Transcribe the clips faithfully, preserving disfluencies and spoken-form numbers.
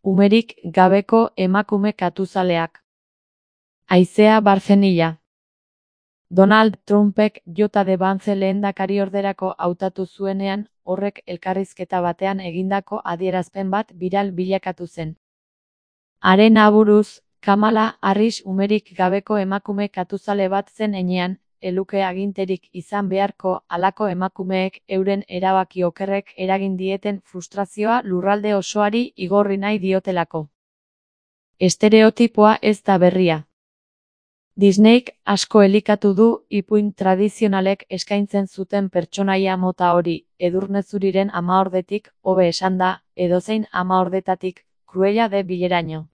Umerik gabeko emakume katuzaleak. Haizea Barzenilla. Donald Trumpek Jota de Vance lehendakariorderako hautatu zuenean, horrek elkarrizketa batean egindako adierazpen bat biral bilakatu zen. Haren aburuz, Kamala Harris umerik gabeko emakume katuzale bat zen heinean, eluke aginterik izan beharko halako emakumeek euren erabaki okerrek eragin dieten frustrazioa lurralde osoari igorri nahi diotelako. Estereotipoa ez da berria. Disneyk asko elikatu du ipuin tradizionalek eskaintzen zuten pertsonaia mota hori, Edurnezuriren amaordetik, hobe esanda, edozein amaordetatik, Cruella de Villeraino.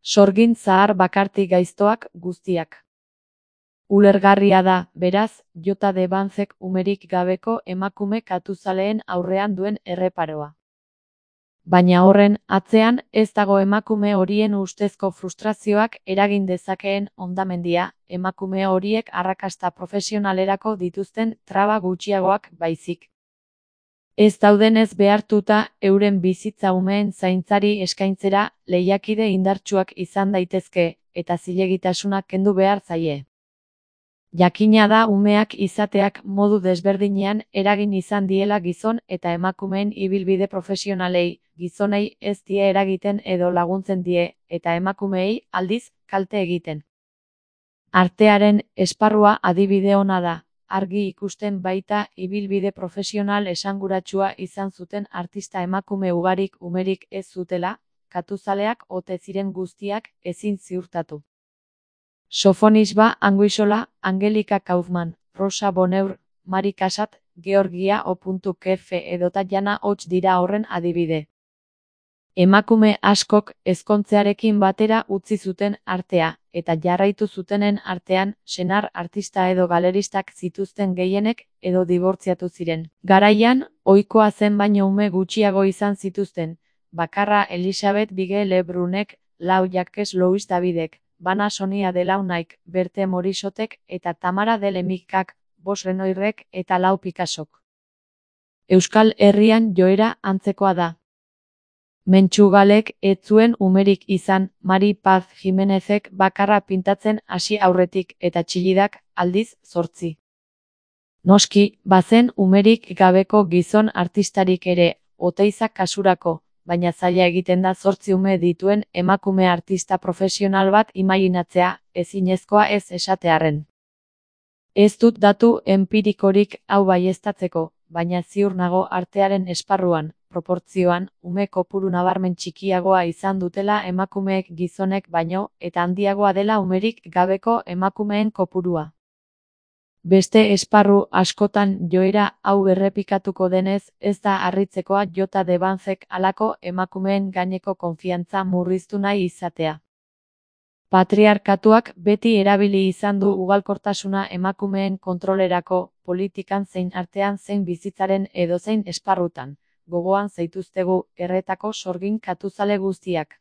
Sorgin zahar bakarti gaiztoak guztiak. Ulergarria da, beraz, Jota de Vancek umerik gabeko emakume katuzaleen aurrean duen erreparoa. Baina horren atzean ez dago emakume horien ustezko frustrazioak eragin dezakeen hondamendia, emakume horiek arrakasta profesionalerako dituzten traba gutxiagoak baizik. Ez daudenez behartuta euren bizitza umeen zaintzari eskaintzera lehiakide indartsuak izan daitezke, eta zilegitasunak kendu behar zaie. Jakina da umeak izateak modu desberdinean eragin izan diela gizon eta emakumeen ibilbide profesionalei, gizonei ez die eragiten edo laguntzen die, eta emakumeei aldiz kalte egiten. Artearen esparrua adibide ona da, argi ikusten baita ibilbide profesional esanguratsua izan zuten artista emakume ugarik umerik ez zutela, katuzaleak ote ziren guztiak ezin ziurtatu. Sofonisba Anguissola, Angelika Kaufman, Rosa Bonheur, Mari Casat, Georgia O. K F edota Jana Hots dira horren adibide. Emakume askok ezkontzearekin batera utzi zuten artea, eta jarraitu zutenen artean, senar artista edo galeristak zituzten gehienek edo dibortziatu ziren. Garaian, ohikoa zen baino ume gutxiago izan zituzten, bakarra Elisabeth Bige Lebrunek, lau Jacques Louis Davidek, Bana Sonia Delaunaik, Berthe Morissotek eta Tamara de Lemicak, Bos Renoirrek eta lau Picassok. Euskal Herrian joera antzekoa da. Mentxugalek ez zuen umerik izan, Mari Paz Jimenezek bakarra pintatzen hasi aurretik eta Txillidak aldiz zortzi. Noski, bazen umerik gabeko gizon artistarik ere, Oteizak kasurako, baina zaila egiten da zortzi ume dituen emakume artista profesional bat imaginatzea, ezinezkoa ez esatearren. Ez dut datu enpirikorik hau baieztatzeko, baina ziur nago artearen esparruan, proportzioan, ume kopuru nabarmen txikiagoa izan dutela emakumeek gizonek baino, eta handiagoa dela umerik gabeko emakumeen kopurua. Beste esparru askotan joera hau errepikatuko denez, ez da harritzekoa Jota de Vancek halako emakumeen gaineko konfiantza murriztu nahi izatea. Patriarkatuak beti erabili izan du ugalkortasuna emakumeen kontrolerako, politikan zein artean zein bizitzaren edozein esparrutan. Gogoan zaituztegu erretako sorgin katuzale guztiak.